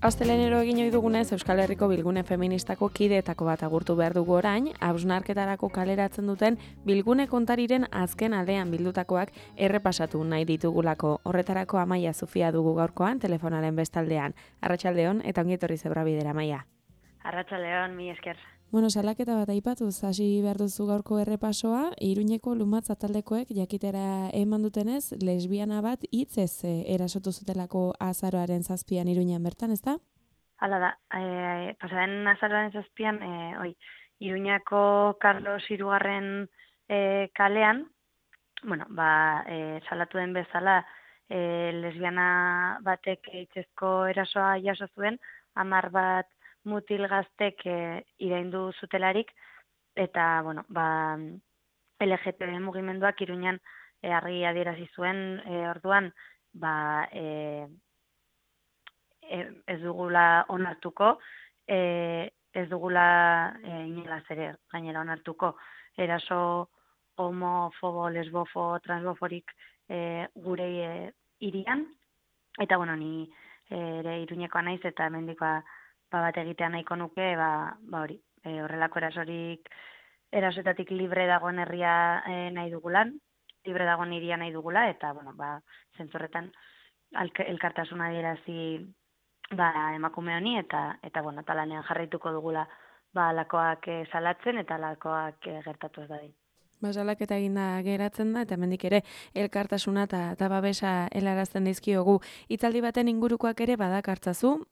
Astelenero egin ohi dugunez, Euskal Herriko Bilgune Feministako kideetako bat agurtu behar dugu orain, hausnarketarako kaleratzen duten Bilgune kontariren azken aldean bildutakoak errepasatu nahi ditugulako. Horretarako Amaia Zufia dugu gaurkoan, telefonaren bestaldean. Arratsaldeon eta ongi etorri Zebrabidera, Amaia. Arratsaldeon, mi esker. Bueno, salaketa bat aipatuz, hasi behar duzu gaurko errepasoa, Iruñeko Lumatza taldekoek jakitera eman dutenez, lesbiana bat hitzez erasotu zutelako azaroaren 7an Iruñan bertan, ezta? Hala da, pasaren azaroaren 7an, Iruñako Carlos Hirugarren kalean, salatu den bezala, lesbiana batek hitzezko erasoa jaso zuen, 10 bat mutil gaztek iraindu zutelarik, eta, LGTB mugimenduak Iruñan argi adierazi zuen, orduan, ez dugula onartuko, ez dugula inolaz ere gainera onartuko eraso homofobo, lesbofo, transboforik gure hirian, eta ni ere Iruñekoa naiz eta hemendikoa bat egitea nahiko nuke, hori, horrelako erasoetatik libre dagoen herria nahi dugulan, libre dagoen hiria nahi dugula, eta, zentzorretan elkartasuna adierazi emakume honi, eta lanean jarraituko dugula alakoak salatzen eta alakoak gertatu ez dadin. Salaketa eginda geratzen da, eta hemendik ere elkartasuna eta babesa helarazten dizkiogu. Hitzaldi baten ingurukoak ere badakartzazu,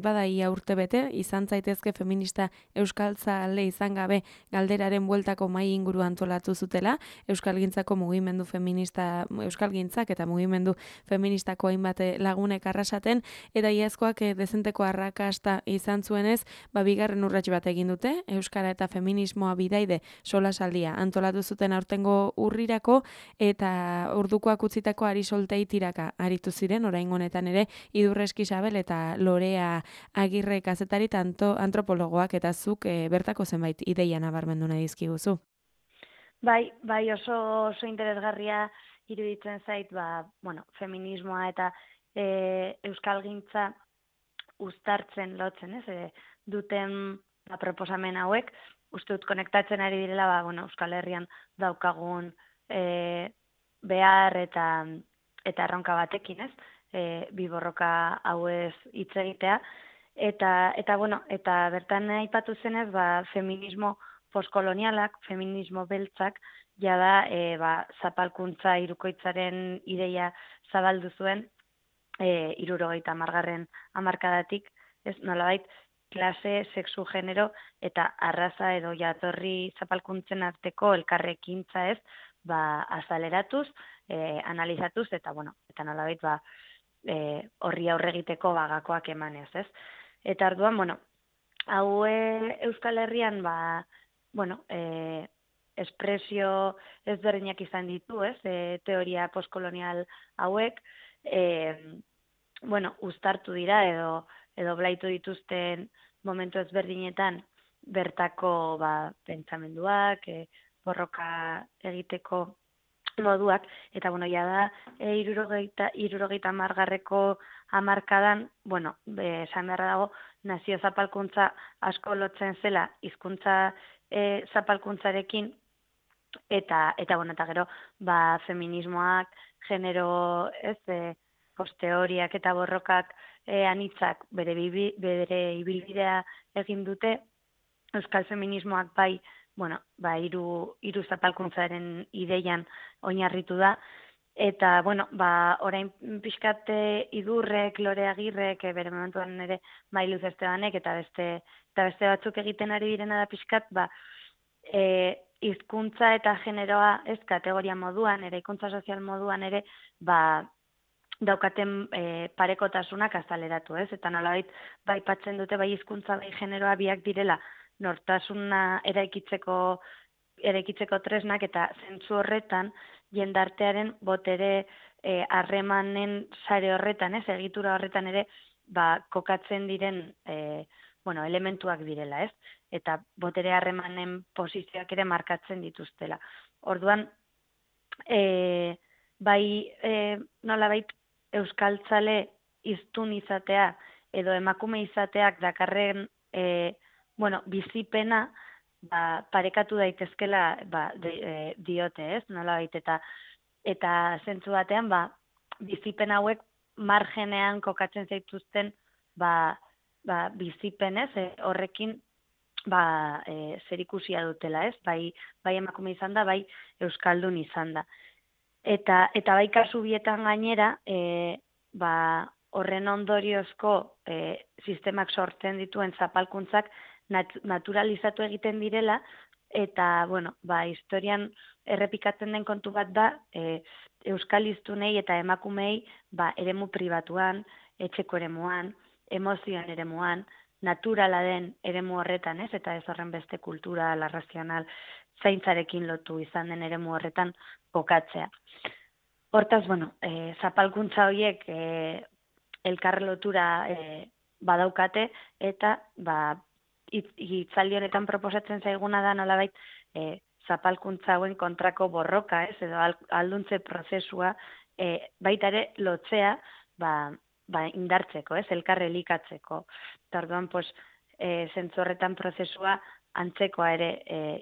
bada ia urtebete, izan zaitezke feminista euskaltzale izan gabe galderaren bueltako mahai inguru antolatu zutela, euskalgintzako mugimendu feminista, euskalgintzak eta mugimendu feministako hainbat lagunek arrasaten, eta iazkoak dezenteko arrakasta izan zuenez, bigarren urrats bat egin dute, euskara eta feminismoa bidaide solasaldia antolatu zuten aurtengo urrirako, eta ordukoak utzitako Ari Soltei tiraka aritu ziren, orain honetan ere Idurre Eskisabel eta Lorea Agirre kazetari antropologoak, eta zuk bertako zenbait ideia nabarmendu nahi dizkiguzu. Bai, oso interesgarria iruditzen zait, feminismoa eta euskalgintza uztartzen lotzen, duten proposamen hauek, uste dut konektatzen ari direla, Euskal Herrian daukagun behar eta erronka batekin, bi borroka hauez hitz egitea, eta bertan aipatu zenez, feminismo postkolonialak, feminismo beltzak, jada zapalkuntza hirukoitzaren ideia zabaldu zuen 70. hamarkadatik, nolabait, klase, sexu, genero eta arraza edo jatorri zapalkuntzen arteko elkarrekintza azaleratuz, analizatuz, eta nolabait horri aurregiteko gakoak emanez, Eta orduan, hau Euskal Herrian, espresio ezberdinak izan ditu, teoria postkolonial hauek, uztartu dira edo blaitu dituzten momentu ezberdinetan bertako pentsamenduak, borroka egiteko moduak, eta jada 70. hamarkadan, esan beharra dago, nazio zapalkuntza asko lotzen zela hizkuntza zapalkuntzarekin, eta gero feminismoak, genero posteoriak eta borrokak anitzak bere ibilbidea egin dute, euskal feminismoak hiru zapalkuntzaren ideian oinarritu da, eta orain pixkat Idurrek, Lore Agirrek, bere momentuan ere Luz Estebanek eta beste batzuk egiten ari direna da pixkat, hizkuntza eta generoa kategoria moduan, eraikuntza sozial moduan ere, daukaten parekotasunak azaleratu, eta nolabait aipatzen dute hizkuntza bai generoa biak direla nortasuna eraikitzeko tresnak, eta zentzu horretan jendartearen botere harremanen sare horretan, egitura horretan ere kokatzen diren elementuak direla, eta botere harremanen posizioak ere markatzen dituztela. Orduan, nolabait euskaltzale hiztun izatea edo emakume izateak dakarren bizipena parekatu daitezkela diote, ez? Nolabait eta zentzu batean bizipen hauek margenean kokatzen zaituzten bizipenez, horrekin zerikusia dutela, ez? Bai emakume izan da, bai euskaldun izan da. Eta bai kasu bietan gainera, horren ondoriozko sistemak sortzen dituen zapalkuntzak naturalizatu egiten direla, eta, historian errepikatzen den kontu bat da, euskal hiztunei eta emakumei eremu pribatuan, etxeko eremuan, emozioan eremuan, naturala den eremu horretan, ez? Eta ez horren beste kultura, razional, zaintzarekin lotu izan den eremu horretan kokatzea. Hortaz, zapalkuntza horiek elkar lotura badaukate, eta hitzaldi honetan proposatzen zaiguna da nolabait zapalkuntza hauen kontrako borroka, ez? Edo alduntze prozesua baita ere lotzea indartzeko, ez? Elkar elikatzeko. Eta orduan, zentzu horretan prozesua antzekoa ere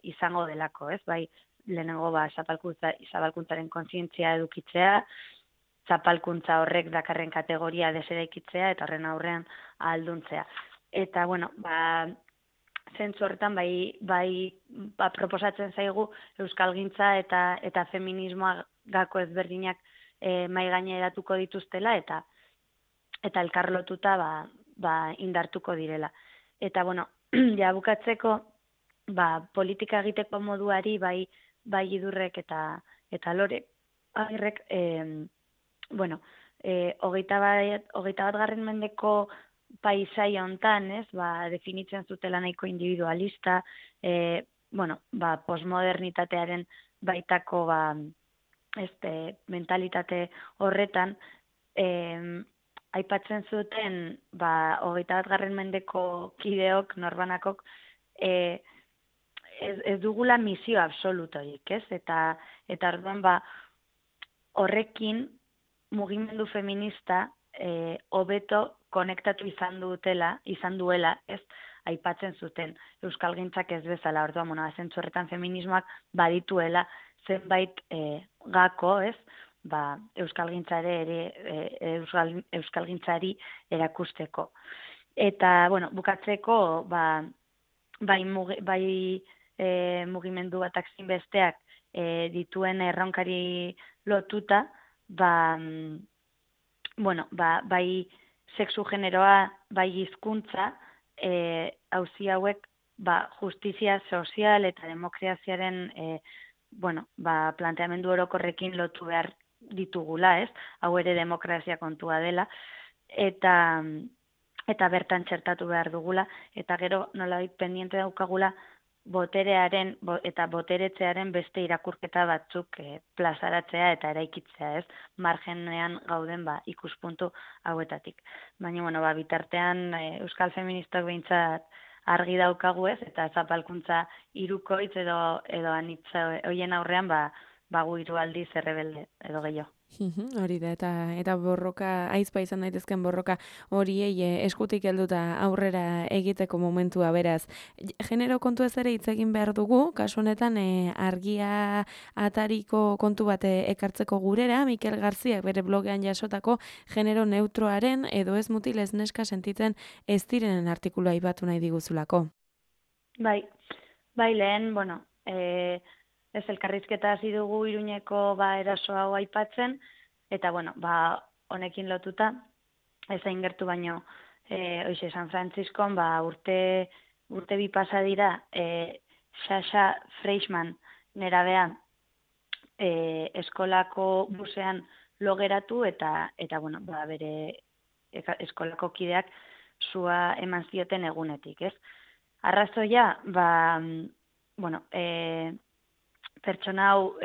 izango delako, ez? Bai, lehenengo zapalkuntzaren kontzientzia edukitzea, zapalkuntza horrek dakarren kategoria deseraikitzea, eta horren aurrean ahalduntzea. Eta, zentzu horretan proposatzen zaigu euskalgintza eta feminismoa gako ezberdinak mahai gaineratuko dituztela, eta elkarlotuta indartuko direla. Eta, ja bukatzeko, politika egiteko moduari bai Idurrek eta Lore Agirrek, 21. mendeko paisai hontan, ez, definitzen zutela nahiko individualista, postmodernitatearen baitako mentalitate horretan, aipatzen zuten 21. mendeko kideok, norbanakok, ez dugula misio absolutorik, ez? Eta orduan horrekin mugimendu feminista hobeto konektatu izan duela, ez? Aipatzen zuten euskalgintzak ez bezala, orduan, zentzu horretan feminismoak badituela zenbait gako, ez? Euskalgintzari erakusteko. Eta, bukatzeko, bai mugimendu batak zinbesteak dituen erronkari lotuta, bai sexu generoa, bai hizkuntza, auzi hauek justizia sozial eta demokraziaren planteamendu orokorrekin lotu behar ditugula, ez? Hau ere demokrazia kontua dela, eta bertan txertatu behar dugula, eta gero nolabait pendiente daukagula boterearen eta boteretzearen beste irakurketa batzuk plazaratzea eta eraikitzea, ez? Margenean gauden ikuspuntu hauetatik. Baina, bitartean euskal feministak behintzat argi daukagu, ez? Eta zapalkuntza hirukoitz edo anitza hoien aurrean gu hiru aldiz errebelde edo gehiago. Hori da, eta borroka, aizpa izan daitezken borroka horiei eskutik helduta aurrera egiteko momentua beraz. Genero kontu ez ere hitz egin behar dugu, kasu honetan argia atariko kontu bat ekartzeko gurera, Mikel Garziak bere blogean jasotako genero neutroaren edo ez mutil ez neska sentitzen ez direnen artikulua aipatu nahi diguzulako. Bai lehen, ez elkarrizketa hasi dugu Iruñeko eraso hau aipatzen, eta honekin lotuta, ez hain gertu baino, San Frantziskon, urte bi pasa dira, Sasha Freischmann nerabea eskolako busean logeratu, eta bere eskolako kideak sua eman zioten egunetik, ez? Arrazoia, pertsona hau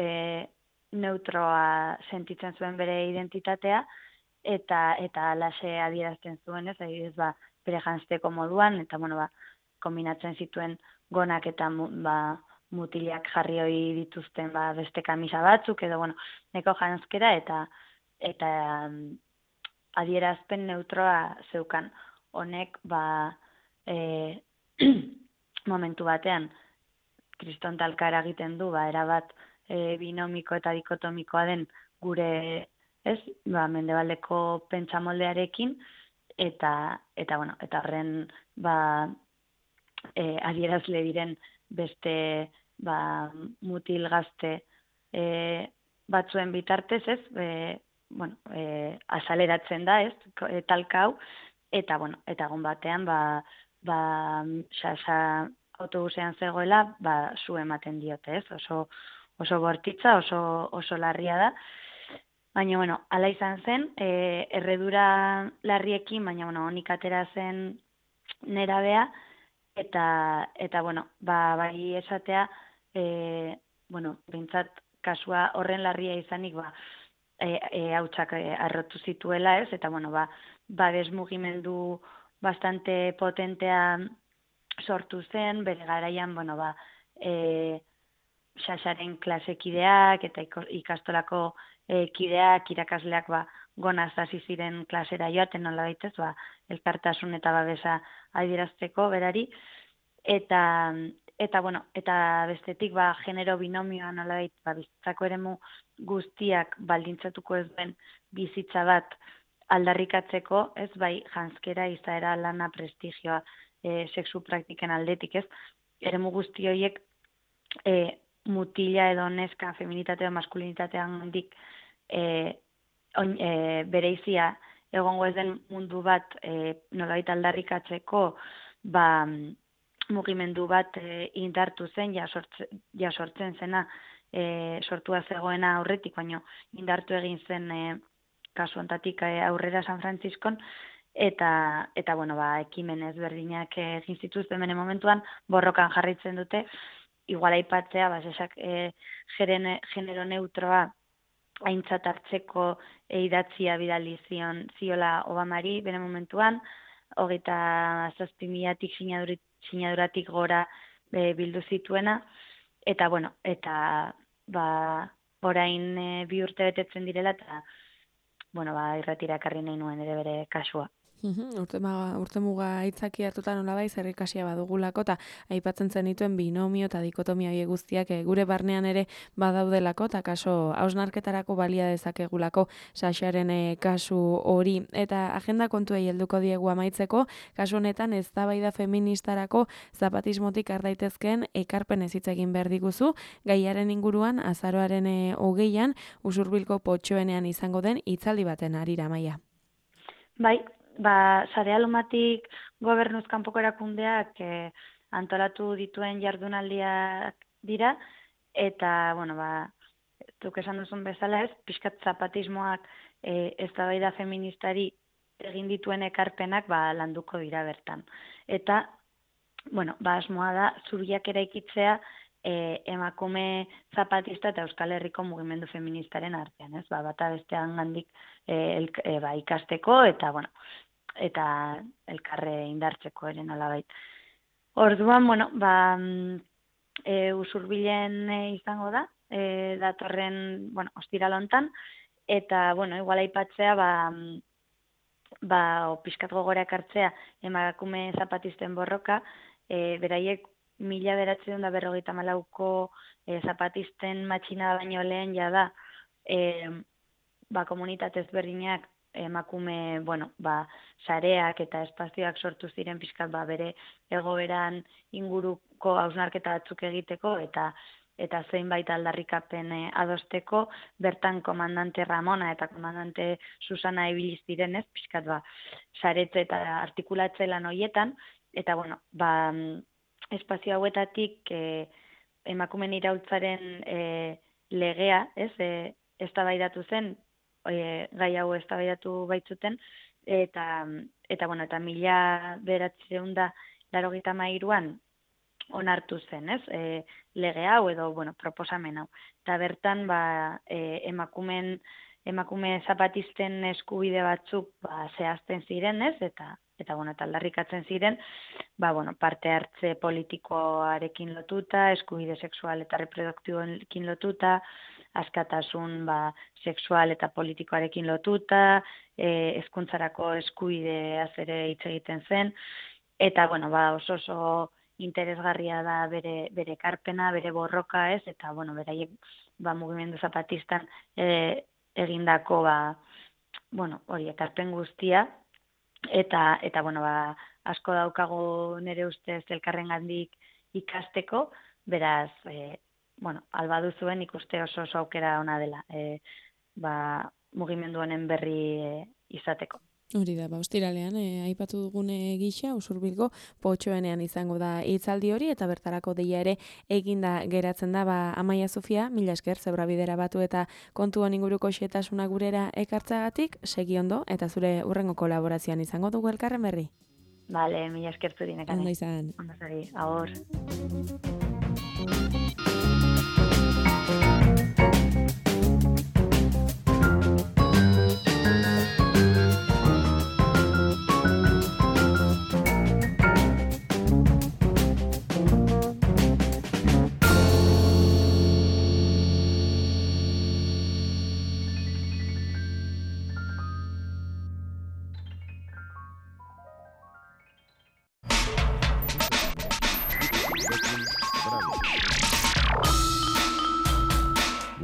neutroa sentitzen zuen bere identitatea, eta alaxe adierazten zuen, ez? Adibidez, bere janzteko moduan, eta kombinatzen zituen gonak eta mutilak jarri hori dituzten beste kamisa batzuk, edo neko janzkera, eta adierazpen neutroa zeukan. honek momentu batean kriston talka eragiten du, erabat binomiko eta dikotomikoa den gure, ez, mendebaldeko pentsamoldearekin, eta horren adierazle diren beste mutil gazte batzuen bitartez, ez, azaleratzen da, ez, talka hau, eta egun batean, Xaxa autobusean zegoela, zu ematen diote, ez, oso bortitza, oso larria da, baina, ala izan zen, erredura larriekin, baina, honik atera zen nerabea, eta bai esatea, bintzat kasua horren larria izanik, hautsak arrotu zituela, ez, eta, desmugimendu bastante potentea sortu zen, bere garaian, Xaxaren klasekideak eta ikastolako kideak, irakasleak gonaz hasi ziren klasera joaten, nola baitez, elkartasun eta babesa adierazteko berari, eta bestetik genero binomioa nola bizitzako eremu guztiak baldintzatuko ez duen bizitza bat aldarrikatzeko, ez bai janzkera, izaera, lana, prestigioa, sexu praktiken aldetik, ez, eremu guzti horiek mutila edo neska, feminitatea, maskulinitatean handik bereizia egongo ez den mundu bat nolabait aldarrikatzeko mugimendu bat indartu zen, sortzen zena sortua zegoena aurretik, baino indartu egin zen kasu hontatik aurrera San Frantziskon, eta ekimen ezberdinak egin zituzten bere momentuan, borrokan jarraitzen dute, igual aipatzea, genero neutroa aintzat hartzeko idatzia bidali ziola Obamari bere momentuan, 27.000 sinaduratik gora bildu zituena, eta orain 2 urte betetzen direla, eta irratira ekarri nahi nuen ere bere kasua. Urtemuga aitzaki hartuta nolabai zer ikasia badugulako, eta aipatzen zenituen binomio eta dikotomia horiek guztiak gure barnean ere badaudelako, eta kaso hausnarketarako balia dezakegulako Xaxaren kasu hori. Eta agenda kontuei helduko diegu amaitzeko, kasu honetan eztabaida feministarako zapatismotik har daitezkeen ekarpen hitz egin behar diguzu, gaiaren inguruan azaroaren 20an Usurbilko Potxoenean izango den hitzaldi baten harira, Amaia. Bai, Sarea Lumatik gobernuz kanpoko erakundeak antolatu dituen jardunaldiak dira, eta, zuk esan duzun bezala ez, pixkat zapatismoak eztabaida feministari egin dituen ekarpenak landuko dira bertan. Eta, asmoa da, zubiak eraikitzea emakume zapatista eta Euskal Herriko mugimendu feministaren artean, ez? Bata bestean gandik ikasteko eta elkarre indartzeko ere nolabait. Orduan, Usurbilen izango da, datorren, ostiral hontan, eta, igual aipatzea, pixkat gogora ekartzea emakume zapatisten borroka, beraiek 1954ko zapatisten matxina baino lehen jada komunitate ezberdinak emakume, sareak eta espazioak sortu ziren pixkat bere egoeran inguruko hausnarketa batzuk egiteko eta zeinbait aldarrikapen adosteko, bertan komandante Ramona eta komandante Susana ibili ziren, ez, pixkat saretze eta artikulatze lan horietan, eta espazio hauetatik emakumen iraultzaren legea, ez, eztabaidatu zen, gai hau eztabaidatu baitzuten, eta 1993an onartu zen, ez, lege hau edo, proposamen hau. Eta bertan, emakume zapatisten eskubide batzuk zehazten ziren, ez, eta aldarrikatzen ziren, parte hartze politikoarekin lotuta, eskubide sexual eta reproduktiboekin lotuta, askatasun sexual eta politikoarekin lotuta, hezkuntzarako eskubideaz ere hitz egiten zen, eta oso interesgarria da bere ekarpena, bere borroka, ez, eta beraiek mugimendu zapatistan egindako hori ekarpen guztia, eta asko daukagu nire ustez elkarrengandik ikasteko, beraz, albadu zuen ikuste oso aukera ona dela, mugimendu honen berri izateko. Hori da, ostiralean, aipatu dugune gisa, Usurbilgo Potxoenean izango da hitzaldi hori, eta bertarako deia ere eginda geratzen da, Amaia Sofia, mila esker, Zebrabidera batu eta kontuan inguruko xetasuna gurera ekartzagatik, segi ondo, eta zure urrengo kolaborazioan izango dugu elkarren berri. Bale, mila esker zurinekane. Ondo izan. Ondo zari, agur.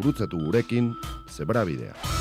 Gurutzatu gurekin Zebrabidea.